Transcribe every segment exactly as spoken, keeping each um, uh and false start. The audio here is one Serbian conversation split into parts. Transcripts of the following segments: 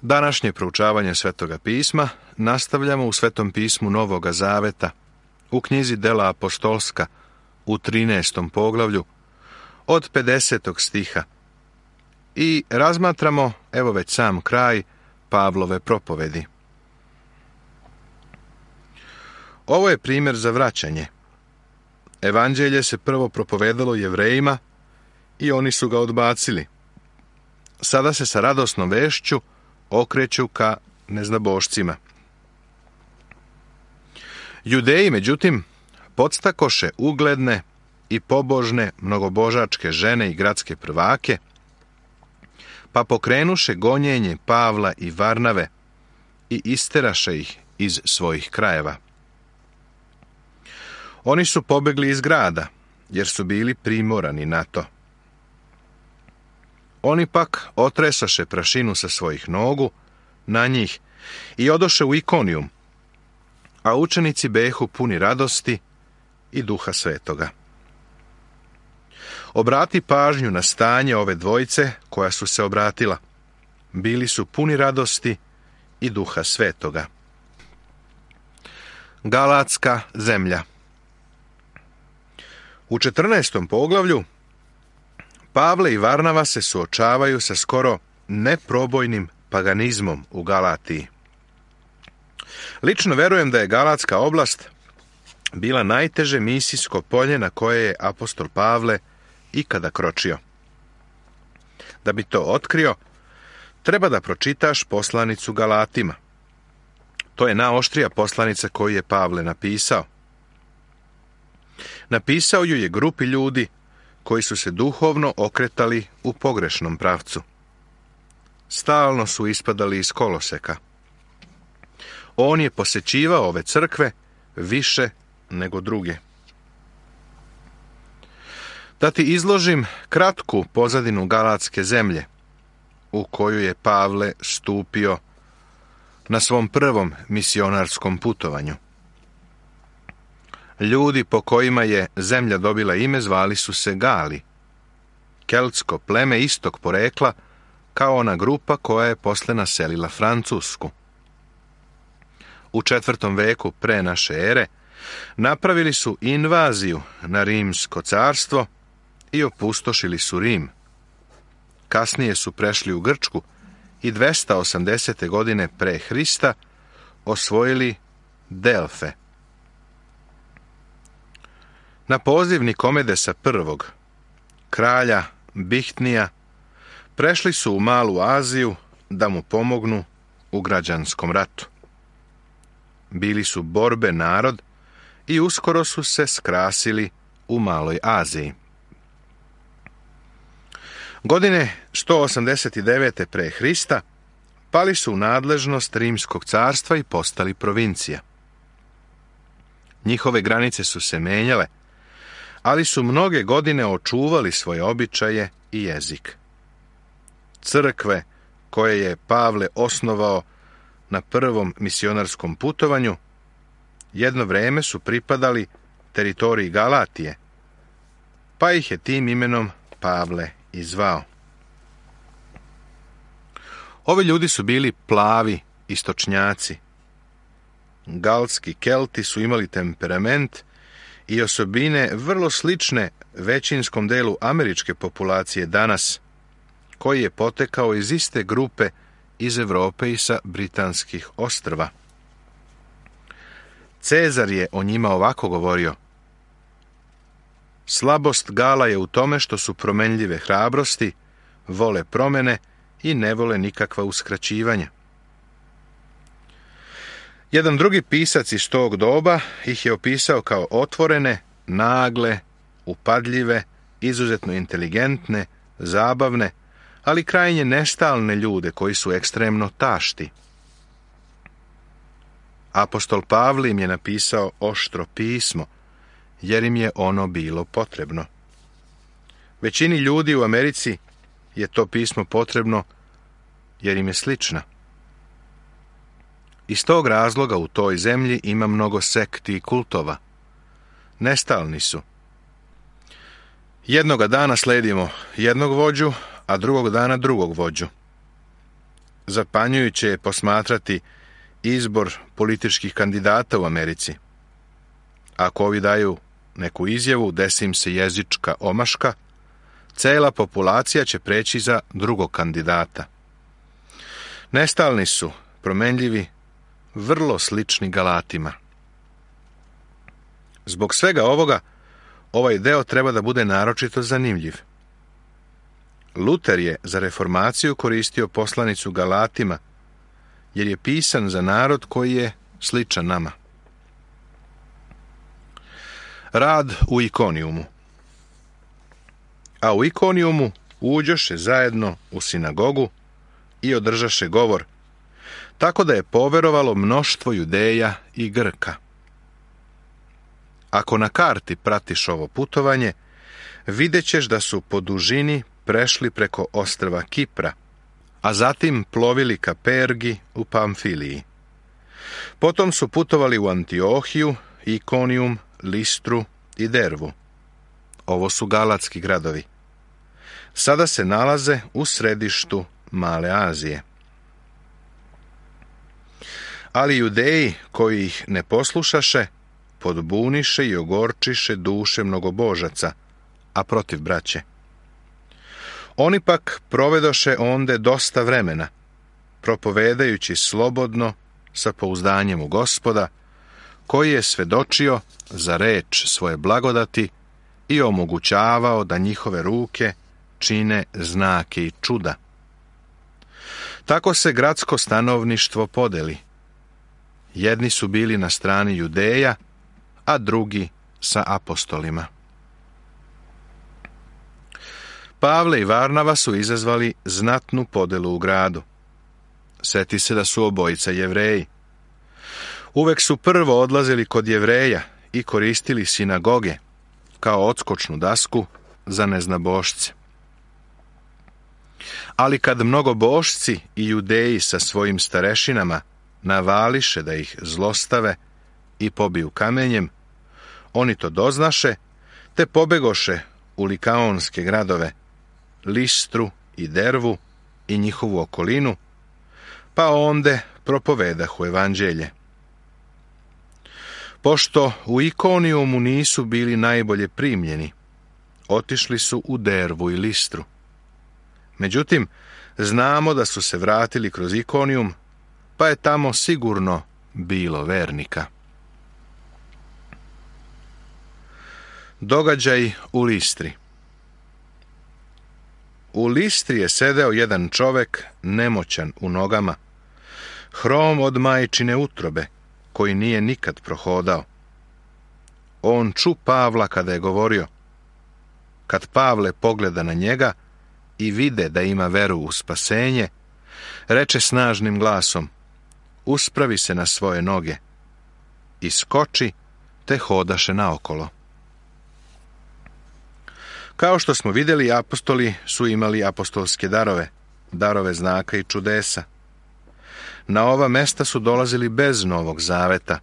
Današnje proučavanje Svetoga pisma nastavljamo u Svetom pismu Novoga Zaveta, u knjizi Dela apostolska, u trinaestom poglavlju, od pedesetog stiha. I razmatramo, evo već sam kraj, Pavlove propovedi. Ovo je primjer za vraćanje. Evanđelje se prvo propovedalo Jevrejima i oni su ga odbacili. Sada se sa radosnom vešću okreću ka neznabošcima. Judeji, međutim, podstakoše ugledne i pobožne mnogobožačke žene i gradske prvake, pa pokrenuše gonjenje Pavla i Varnave i isteraše ih iz svojih krajeva. Oni su pobegli iz grada, jer su bili primorani na to. Oni pak otresaše prašinu sa svojih nogu na njih i odoše u Ikonijum, a učenici behu puni radosti i Duha Svetoga. Obrati pažnju na stanje ove dvojice koja su se obratila. Bili su puni radosti i Duha Svetoga. Galatska zemlja. U četrnaestom poglavlju Pavle i Varnava se suočavaju sa skoro neprobojnim paganizmom u Galatiji. Lično verujem da je Galatska oblast bila najteže misijsko polje na koje je apostol Pavle ikada kročio. Da bi to otkrio, treba da pročitaš poslanicu Galatima. To je najoštrija poslanica koju je Pavle napisao. Napisao ju je grupi ljudi koji su se duhovno okretali u pogrešnom pravcu. Stalno su ispadali iz koloseka. On je posećivao ove crkve više nego druge. Da ti izložim kratku pozadinu Galatske zemlje, u koju je Pavle stupio na svom prvom misionarskom putovanju. Ljudi po kojima je zemlja dobila ime zvali su se Gali, keltsko pleme istog porekla, kao ona grupa koja je posle naselila Francusku. U četvrtom veku pre naše ere napravili su invaziju na Rimsko carstvo i opustošili su Rim. Kasnije su prešli u Grčku i dvesta osamdesete godine pre Hrista osvojili Delfe. Na poziv Nikomedesa prvog, kralja Bihtnija, prešli su u Malu Aziju da mu pomognu u građanskom ratu. Bili su borbe narod i uskoro su se skrasili u Maloj Aziji. Godine sto osamdeset devete pre Hrista pali su u nadležnost Rimskog carstva i postali provincija. Njihove granice su se menjale, ali su mnoge godine očuvali svoje običaje i jezik. Crkve koje je Pavle osnovao na prvom misionarskom putovanju jedno vreme su pripadali teritoriji Galatije, pa ih je tim imenom Pavle i zvao. Ovi ljudi su bili plavi istočnjaci. Galski Kelti su imali temperament i osobine vrlo slične većinskom delu američke populacije danas, koji je potekao iz iste grupe iz Evrope i sa britanskih ostrva. Cezar je o njima ovako govorio: slabost Gala je u tome što su promenljive hrabrosti, vole promene i ne vole nikakva uskraćivanja. Jedan drugi pisac iz tog doba ih je opisao kao otvorene, nagle, upadljive, izuzetno inteligentne, zabavne, ali krajnje nestalne ljude koji su ekstremno tašti. Apostol Pavle im je napisao oštro pismo, jer im je ono bilo potrebno. Većini ljudi u Americi je to pismo potrebno jer im je slična. Iz tog razloga u toj zemlji ima mnogo sekti i kultova. Nestalni su. Jednoga dana sledimo jednog vođu, a drugog dana drugog vođu. Zapanjujuće je posmatrati izbor političkih kandidata u Americi. Ako ovi daju neku izjavu, desi im se jezička omaška, cela populacija će preći za drugog kandidata. Nestalni su, promenljivi, vrlo slični Galatima. Zbog svega ovoga, ovaj deo treba da bude naročito zanimljiv. Luter je za reformaciju koristio poslanicu Galatima, jer je pisan za narod koji je sličan nama. Rad u Ikonijumu. A u Ikonijumu uđoše zajedno u sinagogu i održaše govor, tako da je poverovalo mnoštvo Judeja i Grka. Ako na karti pratiš ovo putovanje, vidjet ćeš da su po dužini prešli preko ostrva Kipra, a zatim plovili ka Pergi u Pamfiliji. Potom su putovali u Antiohiju, Ikonijum, Listru i Dervu. Ovo su galatski gradovi. Sada se nalaze u središtu Male Azije. Ali Judeji koji ih ne poslušaše, podbuniše i ogorčiše duše mnogobožaca, a protiv braće. Oni pak provedoše onde dosta vremena, propovedajući slobodno sa pouzdanjem u Gospoda, koji je svedočio za reč svoje blagodati i omogućavao da njihove ruke čine znake i čuda. Tako se gradsko stanovništvo podeli. Jedni su bili na strani Judeja, a drugi sa apostolima. Pavle i Varnava su izazvali znatnu podelu u gradu. Seti se da su obojica Jevreji. Uvek su prvo odlazili kod Jevreja i koristili sinagoge kao odskočnu dasku za neznabošce. Ali kad mnogobošci i Judeji sa svojim starešinama navališe da ih zlostave i pobiju kamenjem, oni to doznaše, te pobegoše u likaonske gradove, Listru i Dervu i njihovu okolinu, pa onde propovedahu evanđelje. Pošto u Ikonijumu nisu bili najbolje primljeni, otišli su u Dervu i Listru. Međutim, znamo da su se vratili kroz Ikonijum, pa je tamo sigurno bilo vernika. Događaj u Listri. U Listri je sedeo jedan čovek nemoćan u nogama, hrom od majčine utrobe, koji nije nikad prohodao. On ču Pavla kada je govorio. Kad Pavle pogleda na njega i vide da ima veru u spasenje, reče snažnim glasom: uspravi se na svoje noge. I skoči, te hodaše naokolo. Kao što smo vidjeli, apostoli su imali apostolske darove, darove znaka i čudesa. Na ova mesta su dolazili bez Novog Zaveta,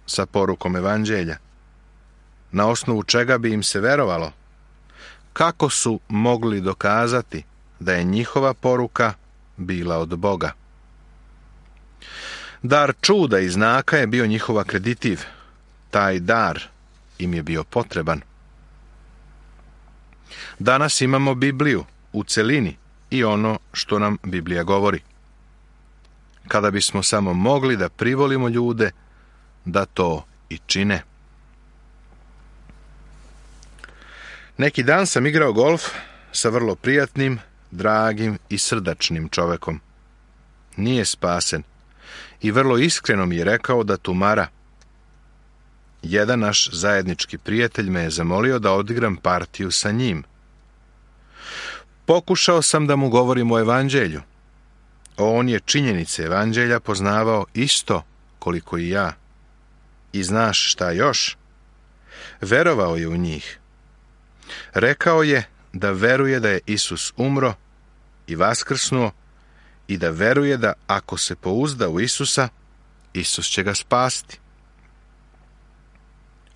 sa porukom evanđelja. Na osnovu čega bi im se verovalo? Kako su mogli dokazati da je njihova poruka bila od Boga? Dar čuda i znaka je bio njihov akreditiv. Taj dar im je bio potreban. Danas imamo Bibliju u celini i ono što nam Biblija govori. Kada bismo samo mogli da privolimo ljude da to i čine. Neki dan sam igrao golf sa vrlo prijatnim, dragim i srdačnim čovekom. Nije spasen i vrlo iskreno mi je rekao da tumara. Jedan naš zajednički prijatelj me je zamolio da odigram partiju sa njim. Pokušao sam da mu govorim o evanđelju. On je činjenice evanđelja poznavao isto koliko i ja. I znaš šta još? Verovao je u njih. Rekao je da veruje da je Isus umro i vaskrsnuo i da veruje da ako se pouzda u Isusa, Isus će ga spasti.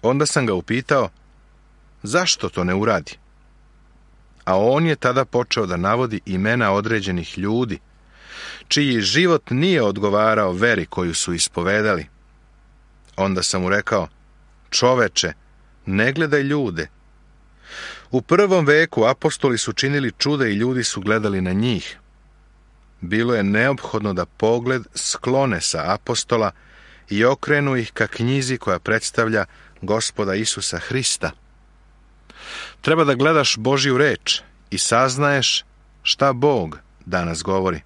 Onda sam ga upitao, zašto to ne uradi? A on je tada počeo da navodi imena određenih ljudi, čiji život nije odgovarao veri koju su ispovedali. Onda sam mu rekao: čoveče, ne gledaj ljude. U prvom veku apostoli su činili čuda i ljudi su gledali na njih. Bilo je neophodno da pogled sklone sa apostola i okrenu ih ka knjizi koja predstavlja Gospoda Isusa Hrista. Treba da gledaš Božju reč i saznaješ šta Bog danas govori.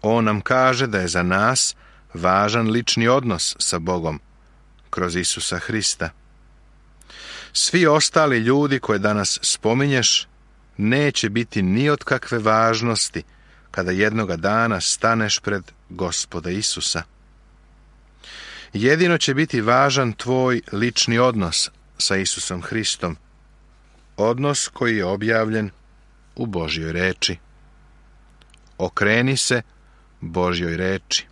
On nam kaže da je za nas važan lični odnos sa Bogom kroz Isusa Hrista. Svi ostali ljudi koje danas spominješ neće biti ni od kakve važnosti kada jednoga dana staneš pred Gospoda Isusa. Jedino će biti važan tvoj lični odnos sa Isusom Hristom, odnos koji je objavljen u Božjoj reči. Okreni se Božjoj reči.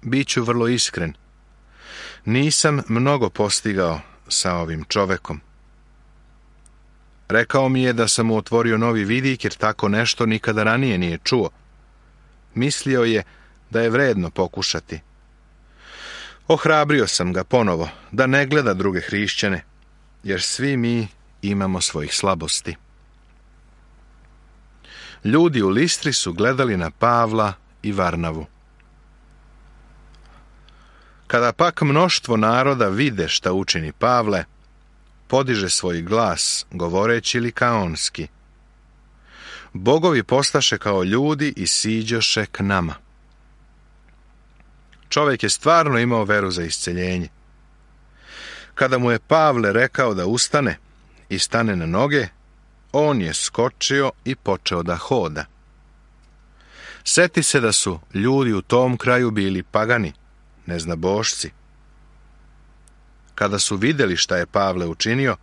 Biću vrlo iskren. Nisam mnogo postigao sa ovim čovekom. Rekao mi je da sam mu otvorio novi vidik jer tako nešto nikada ranije nije čuo. Mislio je da je vredno pokušati. Ohrabrio sam ga ponovo da ne gleda druge hrišćane, jer svi mi imamo svojih slabosti. Ljudi u Listri su gledali na Pavla i Varnavu. Kada pak mnoštvo naroda vide šta učini Pavle, podiže svoj glas, govoreći likaonski: bogovi postaše kao ljudi i siđoše k nama. Čovjek je stvarno imao veru za isceljenje. Kada mu je Pavle rekao da ustane i stane na noge, on je skočio i počeo da hoda. Seti se da su ljudi u tom kraju bili pagani, neznabošci. Kada su vidjeli šta je Pavle učinio,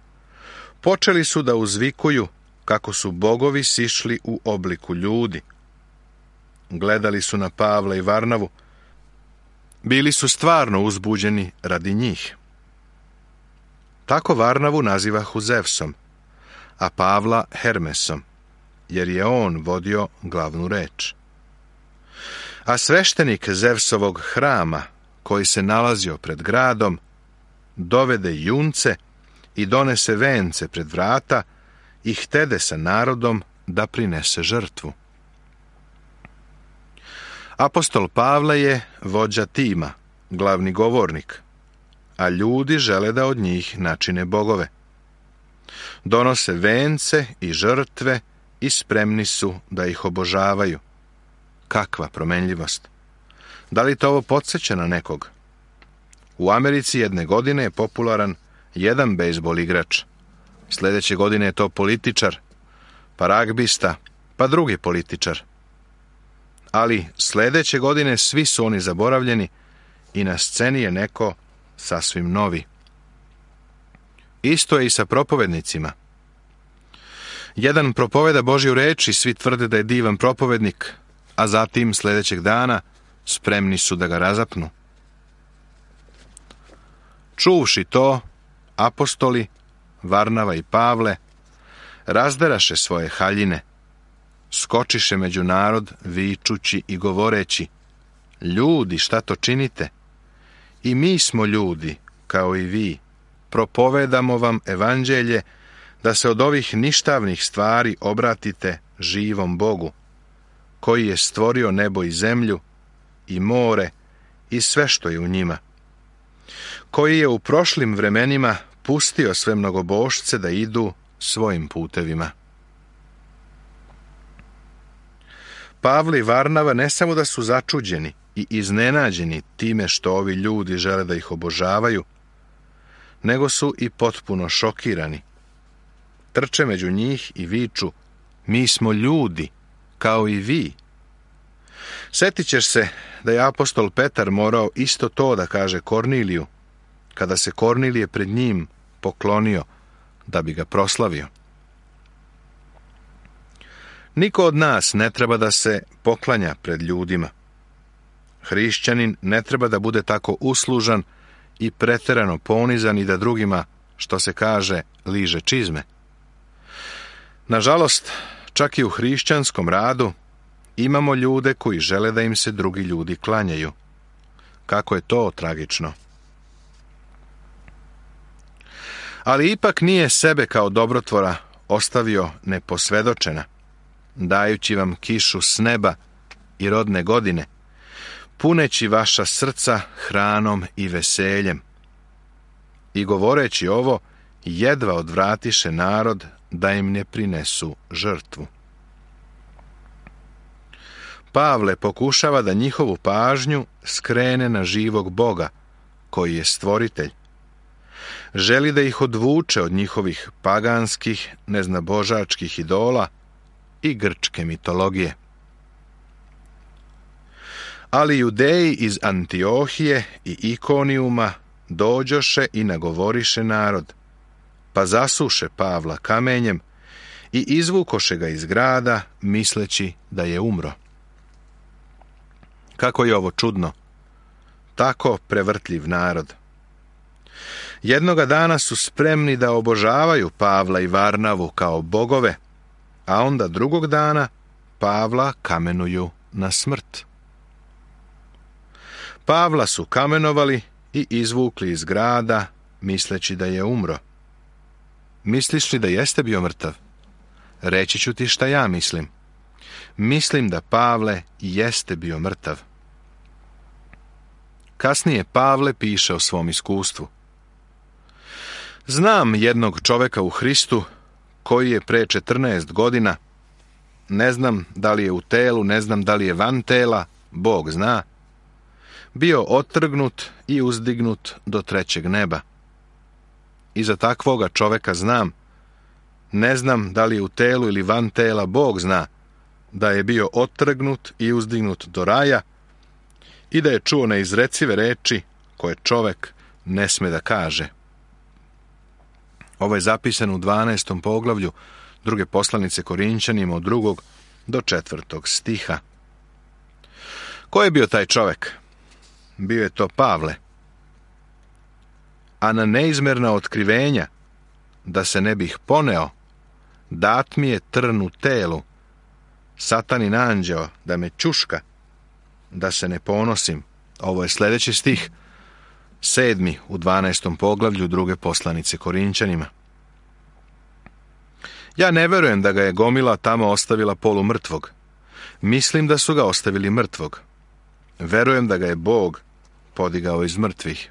počeli su da uzvikuju kako su bogovi sišli u obliku ljudi. Gledali su na Pavla i Varnavu, bili su stvarno uzbuđeni radi njih. Tako Varnavu nazivahu Zevsom, a Pavla Hermesom, jer je on vodio glavnu reč. A sveštenik Zevsovog hrama, koji se nalazio pred gradom, dovede junce i donese vence pred vrata i htede sa narodom da prinese žrtvu. Apostol Pavle je vođa tima, glavni govornik, a ljudi žele da od njih načine bogove. Donose vence i žrtve i spremni su da ih obožavaju. Kakva promenljivost! Da li to ovo podsjeća na nekog? U Americi jedne godine je popularan jedan bejzbol igrač. Sljedeće godine je to političar, pa ragbista, pa drugi političar. Ali sljedeće godine svi su oni zaboravljeni i na sceni je neko sasvim novi. Isto je i sa propovednicima. Jedan propoveda Božju reč i svi tvrde da je divan propovednik, a zatim sljedećeg dana spremni su da ga razapnu. Čuvši to, apostoli, Varnava i Pavle, razderaše svoje haljine, skočiše među narod, vičući i govoreći: ljudi, šta to činite? I mi smo ljudi, kao i vi, propovedamo vam evanđelje, da se od ovih ništavnih stvari obratite živom Bogu, koji je stvorio nebo i zemlju, i more, i sve što je u njima, koji je u prošlim vremenima pustio sve mnogobošce da idu svojim putevima. Pavle i Varnava ne samo da su začuđeni i iznenađeni time što ovi ljudi žele da ih obožavaju, nego su i potpuno šokirani. Trče među njih i viču: mi smo ljudi, kao i vi. Sjetit ćeš se da je apostol Petar morao isto to da kaže Korniliju, kada se Kornilije pred njim poklonio da bi ga proslavio. Niko od nas ne treba da se poklanja pred ljudima. Hrišćanin ne treba da bude tako uslužan i preterano ponizan i da drugima, što se kaže, liže čizme. Nažalost, Čak i u hrišćanskom radu imamo ljude koji žele da im se drugi ljudi klanjaju. Kako je to tragično. Ali ipak nije sebe kao dobrotvora ostavio neposvedočena, dajući vam kišu s neba i rodne godine, puneći vaša srca hranom i veseljem. I govoreći ovo, jedva odvratiše narod da im ne prinesu žrtvu. Pavle pokušava da njihovu pažnju skrene na živog Boga, koji je stvoritelj. Želi da ih odvuče od njihovih paganskih, neznabožačkih idola i grčke mitologije. Ali Judeji iz Antiohije i Ikonijuma dođoše i nagovoriše narod, pa zasuše Pavla kamenjem i izvukoše ga iz grada, misleći da je umro. Kako je ovo čudno, tako prevrtljiv narod. Jednoga dana su spremni da obožavaju Pavla i Varnavu kao bogove, a onda drugog dana Pavla kamenuju na smrt. Pavla su kamenovali i izvukli iz grada, misleći da je umro. Misliš li da jeste bio mrtav? Reći ću ti šta ja mislim. Mislim da Pavle jeste bio mrtav. Kasnije Pavle piše o svom iskustvu. Znam jednog čoveka u Hristu koji je pre četrnaest godina, ne znam da li je u telu, ne znam da li je van tela, Bog zna, bio otrgnut i uzdignut do trećeg neba. I za takvoga čoveka znam, ne znam da li je u telu ili van tela, Bog zna, da je bio otrgnut i uzdignut do raja i da je čuo neizrecive reči koje čovek ne sme da kaže. Ovo je zapisano u dvanaestom poglavlju druge poslanice Korinćanima od drugog do četvrtog stiha. Ko je bio taj čovek? Bio je to Pavle. A na neizmerna otkrivenja, da se ne bih poneo, dat mi je trn u telu, satanin anđeo da me čuška, da se ne ponosim. Ovo je sljedeći stih, sedmi u dvanaestom poglavlju druge poslanice Korinćanima. Ja ne verujem da ga je gomila tamo ostavila polumrtvog. Mislim da su ga ostavili mrtvog. Verujem da ga je Bog podigao iz mrtvih.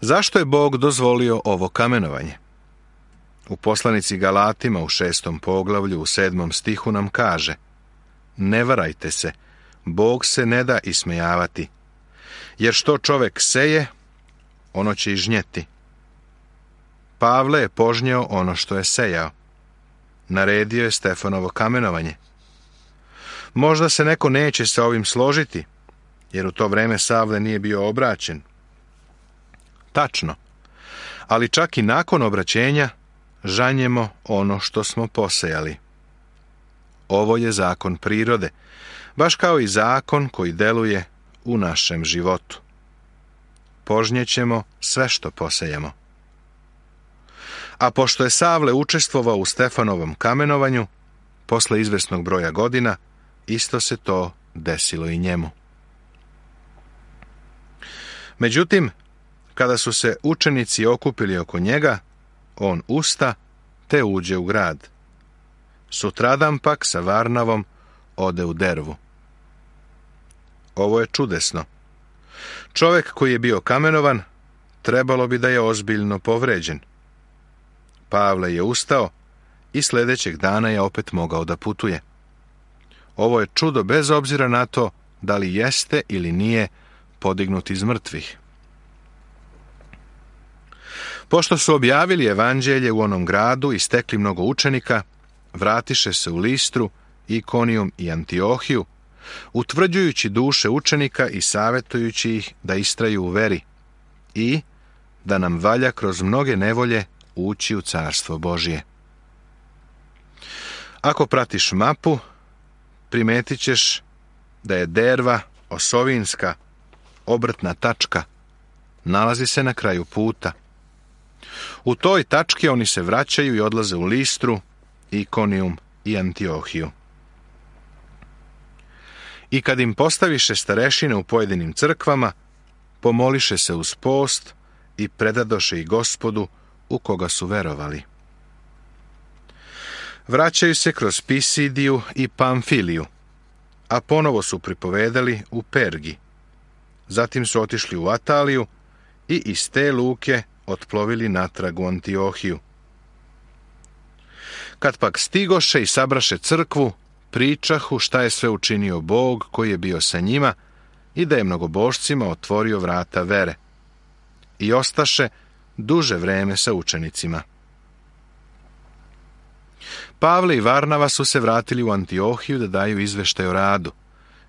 Zašto je Bog dozvolio ovo kamenovanje? U poslanici Galatima u šestom poglavlju u sedmom stihu nam kaže: ne varajte se, Bog se ne da ismejavati, jer što čovek seje, ono će i žnjeti. Pavle je požnjeo ono što je sejao. Naredio je Stefanovo kamenovanje. Možda se neko neće sa ovim složiti, jer u to vreme Savle nije bio obraćen. Tačno, ali čak i nakon obraćenja žanjemo ono što smo posejali. Ovo je zakon prirode, baš kao i zakon koji deluje u našem životu. Požnjećemo sve što posejemo. A pošto je Savle učestvovao u Stefanovom kamenovanju, posle izvesnog broja godina, isto se to desilo i njemu. Međutim, kada su se učenici okupili oko njega, on usta te uđe u grad. Sutradan pak sa Varnavom ode u Dervu. Ovo je čudesno. Čovek koji je bio kamenovan, trebalo bi da je ozbiljno povređen. Pavle je ustao i sljedećeg dana je opet mogao da putuje. Ovo je čudo bez obzira na to da li jeste ili nije podignut iz mrtvih. Pošto su objavili evanđelje u onom gradu i stekli mnogo učenika, vratiše se u Listru, Ikonijum i Antiohiju, utvrđujući duše učenika i savjetujući ih da istraju u veri i da nam valja kroz mnoge nevolje ući u carstvo Božije. Ako pratiš mapu, primetit ćeš da je Derva osovinska, obrtna tačka, nalazi se na kraju puta. U toj tački oni se vraćaju i odlaze u Listru, Ikonijum i Antiohiju. I kad im postaviše starešine u pojedinim crkvama, pomoliše se uz post i predadoše ih Gospodu u koga su verovali. Vraćaju se kroz Pisidiju i Pamfiliju, a ponovo su pripovedali u Pergi. Zatim su otišli u Ataliju i iz te luke otplovili natrag u Antiohiju. Kad pak stigoše i sabraše crkvu, pričahu šta je sve učinio Bog koji je bio sa njima i da je mnogobožcima otvorio vrata vere. I ostaše duže vreme sa učenicima. Pavle i Varnava su se vratili u Antiohiju da daju izveštaj o radu,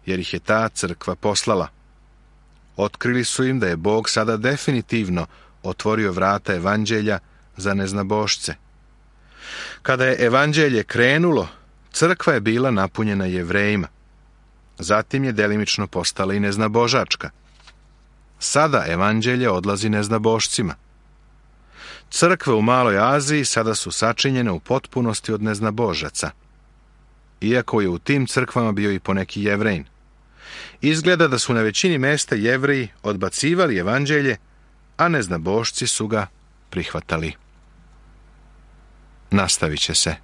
jer ih je ta crkva poslala. Otkrili su im da je Bog sada definitivno otvorio vrata evanđelja za neznabošce. Kada je evanđelje krenulo, crkva je bila napunjena Jevrejima. Zatim je delimično postala i neznabožačka. Sada evanđelje odlazi neznabošcima. Crkve u Maloj Aziji sada su sačinjene u potpunosti od neznabožaca, iako je u tim crkvama bio i poneki Jevrejin. Izgleda da su na većini mesta Jevreji odbacivali evanđelje, a neznabošci su ga prihvatali. Nastavit će se.